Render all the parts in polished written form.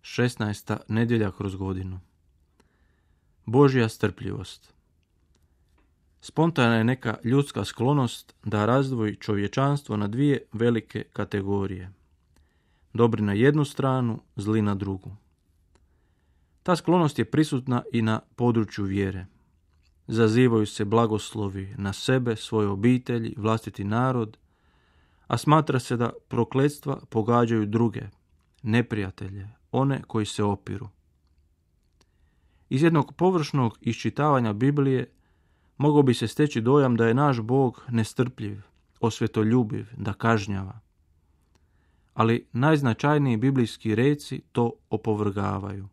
16. nedjelja kroz godinu. Božja strpljivost. Spontana je neka ljudska sklonost da razdvoji čovječanstvo na dvije velike kategorije. Dobri na jednu stranu, zli na drugu. Ta sklonost je prisutna i na području vjere. Zazivaju se blagoslovi na sebe, svoje obitelji, vlastiti narod, a smatra se da prokletstva pogađaju druge, neprijatelje, one koji se opiru. Iz jednog površnog iščitavanja Biblije mogao bi se steći dojam da je naš Bog nestrpljiv, osvetoljubiv, da kažnjava. Ali najznačajniji biblijski reci to opovrgavaju.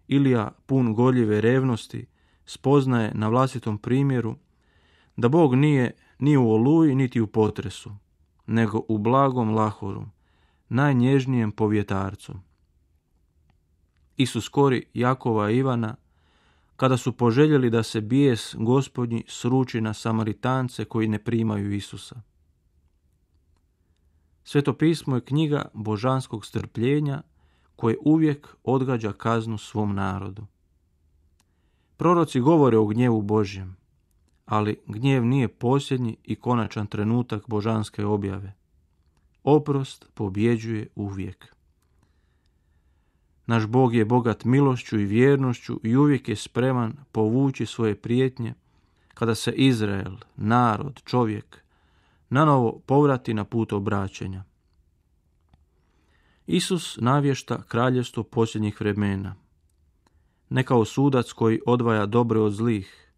Ilija, pun gorljive revnosti, spoznaje na vlastitom primjeru da Bog nije ni u oluji niti u potresu, nego u blagom lahoru, najnježnijem povjetarcu. Isus kori Jakova i Ivana kada su poželjeli da se bijes Gospodnji sruči na Samaritance koji ne primaju Isusa. Sveto pismo je knjiga božanskog strpljenja koje uvijek odgađa kaznu svom narodu. Proroci govore o gnjevu Božjem, ali gnjev nije posljednji i konačan trenutak božanske objave. Oprost pobjeđuje uvijek. Naš Bog je bogat milošću i vjernošću i uvijek je spreman povući svoje prijetnje kada se Izrael, narod, čovjek, nanovo povrati na put obraćenja. Isus navješta kraljevstvo posljednjih vremena, ne kao sudac koji odvaja dobre od zlih,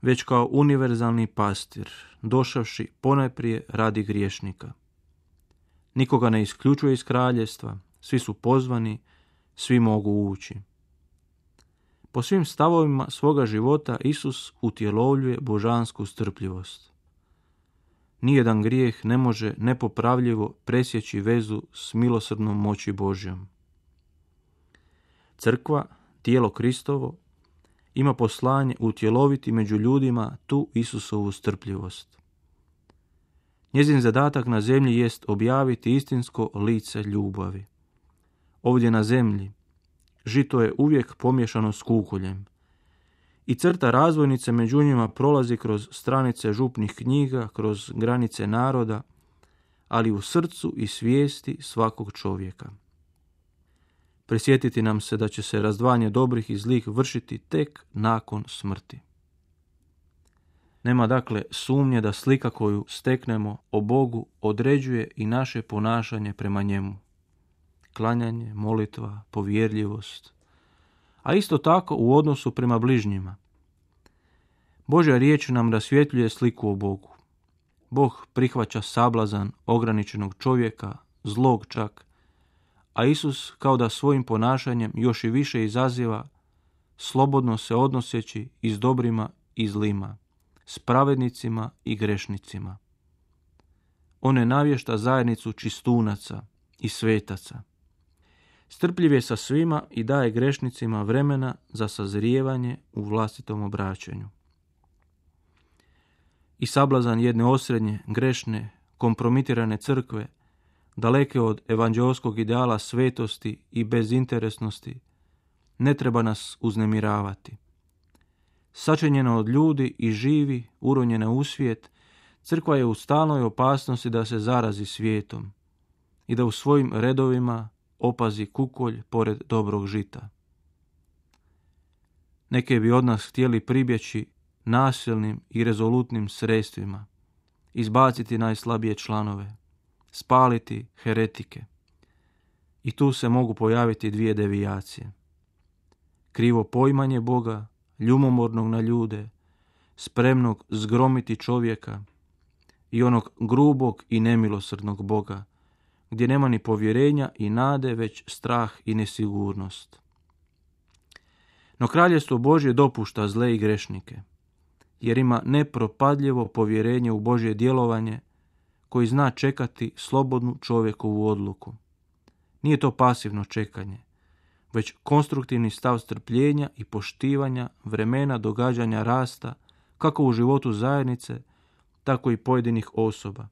već kao univerzalni pastir, došavši ponajprije radi griješnika. Nikoga ne isključuje iz kraljevstva, svi su pozvani, svi mogu ući. Po svim stavovima svoga života Isus utjelovljuje božansku strpljivost. Nijedan grijeh ne može nepopravljivo presjeći vezu s milosrdnom moći Božjom. Crkva, tijelo Kristovo, ima poslanje utjeloviti među ljudima tu Isusovu strpljivost. Njezin zadatak na zemlji jest objaviti istinsko lice ljubavi. Ovdje na zemlji žito je uvijek pomiješano s kukoljem i crta razvojnice među njima prolazi kroz stranice župnih knjiga, kroz granice naroda, ali u srcu i svijesti svakog čovjeka. Prisjetiti nam se da će se razdvajanje dobrih i zlih vršiti tek nakon smrti. Nema dakle sumnje da slika koju steknemo o Bogu određuje i naše ponašanje prema njemu. Klanjanje, molitva, povjerljivost, a isto tako u odnosu prema bližnjima. Božja riječ nam rasvjetljuje sliku o Bogu. Bog prihvaća sablazan ograničenog čovjeka, zlog čak, a Isus kao da svojim ponašanjem još i više izaziva, slobodno se odnoseći i s dobrima i zlima, s pravednicima i grešnicima. On ne navješta zajednicu čistunaca i svetaca. Strpljiv je sa svima i daje grešnicima vremena za sazrijevanje u vlastitom obraćanju. I sablazan jedne osrednje, grešne, kompromitirane crkve, daleke od evanđeoskog ideala svetosti i bezinteresnosti, ne treba nas uznemiravati. Sačinjena od ljudi i živi, uronjena u svijet, crkva je u stalnoj opasnosti da se zarazi svijetom i da u svojim redovima opazi kukolj pored dobrog žita. Neke bi od nas htjeli pribjeći nasilnim i rezolutnim sredstvima, izbaciti najslabije članove, spaliti heretike. I tu se mogu pojaviti dvije devijacije. Krivo poimanje Boga, ljubomornog na ljude, spremnog zgromiti čovjeka, i onog grubog i nemilosrdnog Boga, gdje nema ni povjerenja i nade, već strah i nesigurnost. No kraljevstvo Božje dopušta zle i grešnike, jer ima nepropadljivo povjerenje u Božje djelovanje, koji zna čekati slobodnu čovjekovu odluku. Nije to pasivno čekanje, već konstruktivni stav strpljenja i poštivanja vremena događanja rasta, kako u životu zajednice, tako i pojedinih osoba.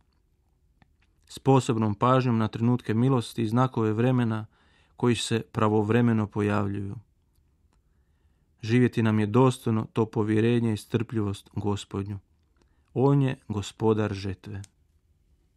S posebnom pažnjom na trenutke milosti i znakove vremena koji se pravovremeno pojavljuju. Živjeti nam je dostojno to povjerenje i strpljivost Gospodnju. On je gospodar žetve.